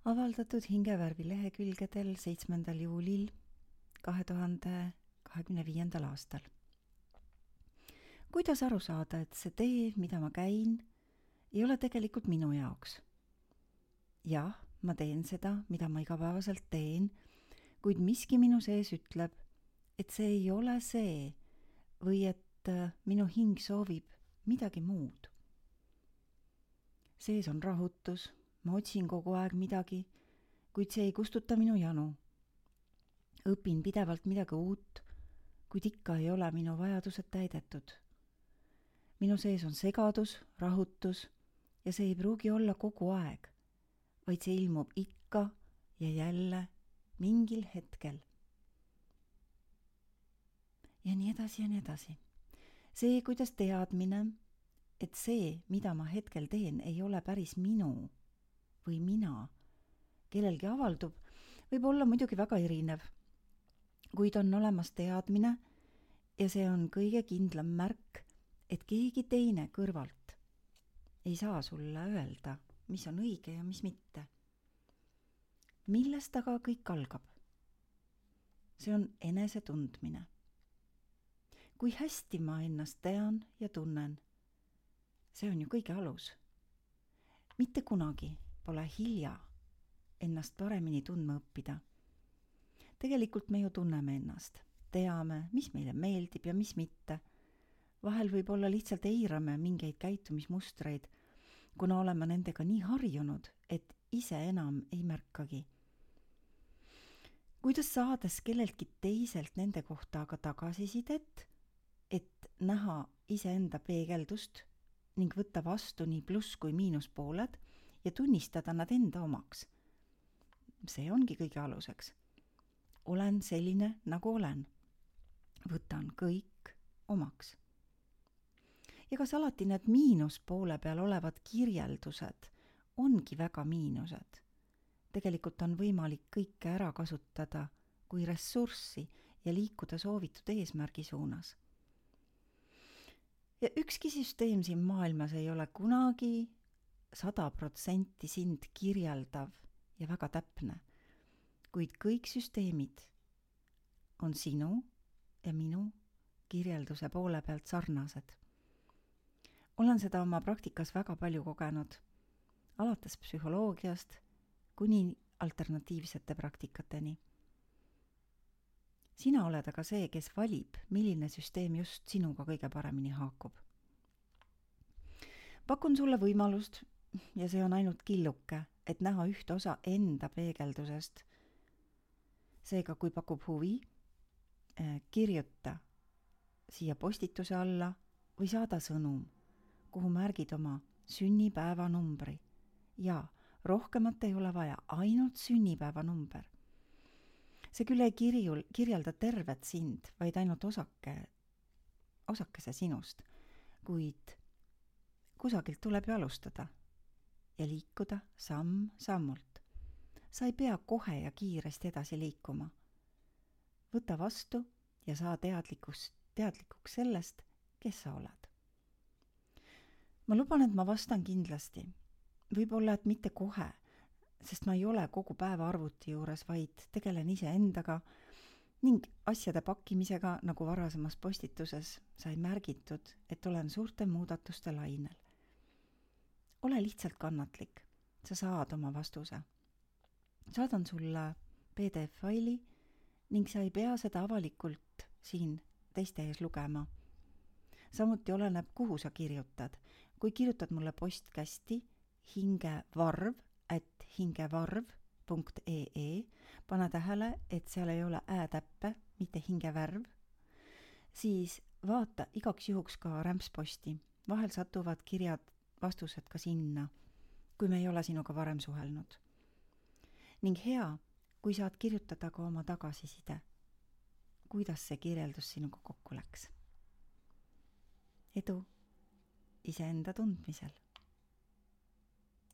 avaldatud Hingevärvi lehekülgedel 7. juulil 2025. aastal. Kuidas aru saada, et see tee, mida ma käin, ei ole tegelikult minu jaoks? Jah, ma teen seda, mida ma igapäevaselt teen, kuid miski minu sees ütleb, et see ei ole see või et minu hing soovib midagi muud. Sees on rahutus, ma otsin kogu aeg midagi, kuid see ei kustuta minu janu. Õpin pidevalt midagi uut, kuid ikka ei ole minu vajadused täidetud. Minu sees on segadus, rahutus ja see ei pruugi olla kogu aeg, vaid see ilmub ikka ja jälle mingil hetkel. Ja nii edasi ja nii edasi. See, kuidas teadmine, et see, mida ma hetkel teen, ei ole päris minu või mina, kellelgi avaldub, võib olla muidugi väga erinev, kuid on olemas teadmine ja see on kõige kindlam märk, et keegi teine kõrvalt ei saa sulle öelda, mis on õige ja mis mitte. Millest aga kõik algab? See on enesetundmine. Kui hästi ma ennast tean ja tunnen, see on ju kõige alus. Mitte kunagi pole hilja ennast paremini tundma õppida. Tegelikult me ju tunneme ennast, teame, mis meile meeldib ja mis mitte. Vahel võib-olla lihtsalt eirame mingeid käitumismustreid, kuna oleme nendega nii harjunud, et ise enam ei märkagi. Kuidas saades kelleltki teiselt nende kohta aga tagasisidet, et näha iseenda peegeldust ning võtta vastu nii pluss kui miinuspooled ja tunnistada nad enda omaks? See ongi kõige aluseks. Olen selline, nagu olen. Võtan kõik omaks. Ja kas alati need miinuspoole peal olevad kirjeldused ongi väga miinused? Tegelikult on võimalik kõike ära kasutada kui ressurssi ja liikuda soovitud eesmärgi suunas. Ja ükski süsteem siin maailmas ei ole kunagi 100% sind kirjeldav ja väga täpne, kuid kõik süsteemid on sinu ja minu kirjelduse poole pealt sarnased. Olen seda oma praktikas väga palju kogenud, alates psühholoogiast kuni alternatiivsete praktikateni. Sina oled aga see, kes valib, milline süsteem just sinuga kõige paremini haakub. Pakun sulle võimalust, ja see on ainult killuke, et näha ühte osa enda peegeldusest. Seega, kui pakub huvi, kirjuta siia postituse alla või saada sõnum, kuhu märgid oma sünnipäevanumbri. Ja rohkemat ei ole vaja, ainult sünnipäevanumber. See küll ei kirjelda tervet sind, vaid ainult osakese sinust, kuid kusagilt tuleb ju alustada ja liikuda samm-sammult. Sa ei pea kohe ja kiiresti edasi liikuma. Võta vastu ja saa teadlikuks sellest, kes sa oled. Ma luban, et ma vastan kindlasti. Võib-olla, et mitte kohe, sest ma ei ole kogu päeva arvuti juures, vaid tegelen iseendaga ning asjade pakkimisega, nagu varasemas postituses sai märgitud, et olen suurte muudatuste lainel. Ole lihtsalt kannatlik, sa saad oma vastuse. Saadan sulle PDF-faili ning sa ei pea seda avalikult siin teiste ees lugema. Samuti oleneb, kuhu sa kirjutad. Kui kirjutad mulle postkästi hingevarv@hingevarv.ee, pane tähele, et seal ei ole ä-täppe, mitte hingevärv, siis vaata igaks juhuks ka rämpsposti. Vahel satuvad kirjad, vastused ka sinna, kui me ei ole sinuga varem suhelnud. Ning hea, kui saad kirjutada ka oma tagasiside, kuidas see kirjeldus sinuga kokku läks. Edu iseenda tundmisel.